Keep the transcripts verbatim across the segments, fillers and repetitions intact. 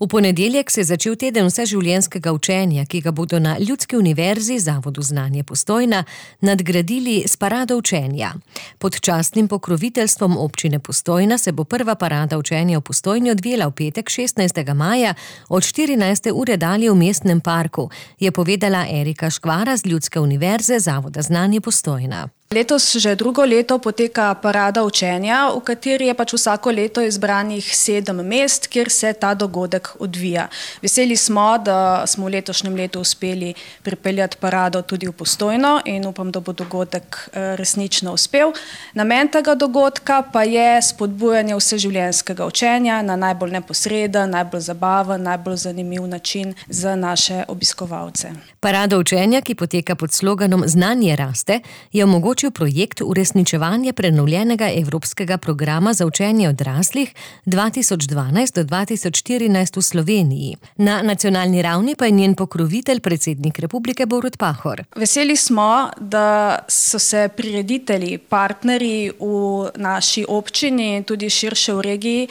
V ponedeljek se je začel teden vseživljenjskega učenja, ki ga bodo na Ljudski univerzi Zavodu Znanje Postojna nadgradili s parado učenja. Pod častnim pokroviteljstvom občine Postojna se bo prva parada učenja v Postojni odvijala v petek šestnajstega maja od štirinajste ure dalje v Mestnem parku, je povedala Erika Škvara z Ljudske univerze Zavoda Znanje Postojna. Letos že drugo leto poteka parada učenja, v kateri je pač vsako leto izbranih sedem mest, kjer se ta dogodek odvija. Veseli smo, da smo v letošnjem letu uspeli pripeljati parado tudi v Postojno in upam, da bo dogodek resnično uspel. Namen tega dogodka pa je spodbujanje vseživljenjskega učenja na najbolj neposreden, najbolj zabaven, najbolj zanimiv način za naše obiskovalce. Parada učenja, ki poteka pod sloganom Znanje raste, je omogočila projekt uresničevanja prenovljenega evropskega programa za učenje odraslih dva tisoč dvanajst do dva tisoč štirinajst v Sloveniji. Na nacionalni ravni pa je njen pokrovitelj predsednik Republike Borut Pahor. Veseli smo, da so se prireditelji, partnerji v naši občini in tudi širše v regiji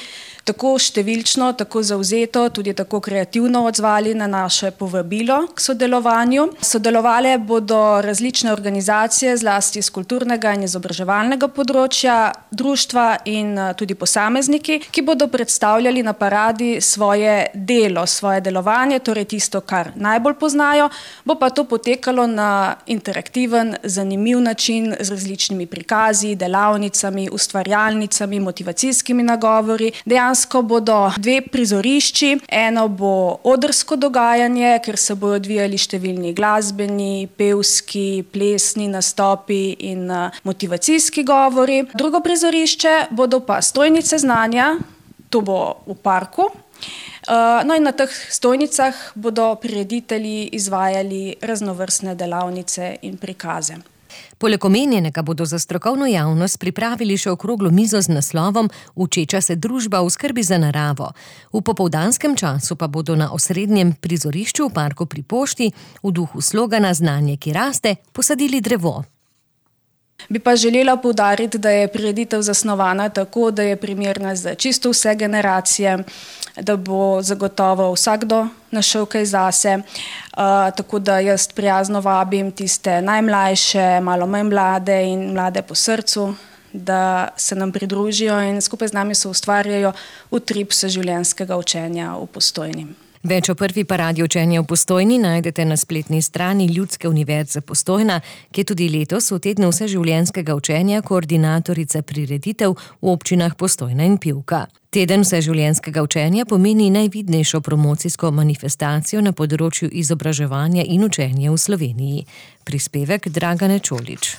tako številčno, tako zavzeto, tudi tako kreativno odzvali na naše povabilo k sodelovanju. Sodelovale bodo različne organizacije, zlasti iz kulturnega in izobraževalnega področja, društva in tudi posamezniki, ki bodo predstavljali na paradi svoje delo, svoje delovanje, torej tisto, kar najbolj poznajo, bo pa to potekalo na interaktiven, zanimiv način z različnimi prikazi, delavnicami, ustvarjalnicami, motivacijskimi nagovori. Dejansko bodo dve prizorišči, eno bo odrsko dogajanje, ker se bodo odvijali številni glasbeni, pevski, plesni nastopi in motivacijski govori. Drugo prizorišče bodo pa stojnice znanja, to bo v parku. No in na teh stojnicah bodo prireditelji izvajali raznovrstne delavnice in prikaze. Poleg omenjenega bodo za strokovno javnost pripravili še okroglo mizo z naslovom Učeča se družba v skrbi za naravo. V popoldanskem času pa bodo na osrednjem prizorišču v parku pri Pošti v duhu slogana Znanje, ki raste, posadili drevo. Bi pa želela poudariti, da je prireditev zasnovana tako, da je primerna za čisto vse generacije, da bo zagotovo vsakdo našel kaj zase, uh, tako da jaz prijazno vabim tiste najmlajše, malo manj mlade in mlade po srcu, da se nam pridružijo in skupaj z nami se ustvarjajo utrip vseživljenjskega učenja v Postojni. Več o prvi paradi učenja v Postojni najdete na spletni strani Ljudske univerze Postojna, ki je tudi letos v tednu vseživljenjskega učenja koordinatorica prireditev v občinah Postojna in Pivka. Teden vseživljenjskega učenja pomeni najvidnejšo promocijsko manifestacijo na področju izobraževanja in učenja v Sloveniji. Prispevek Dragane Čolič.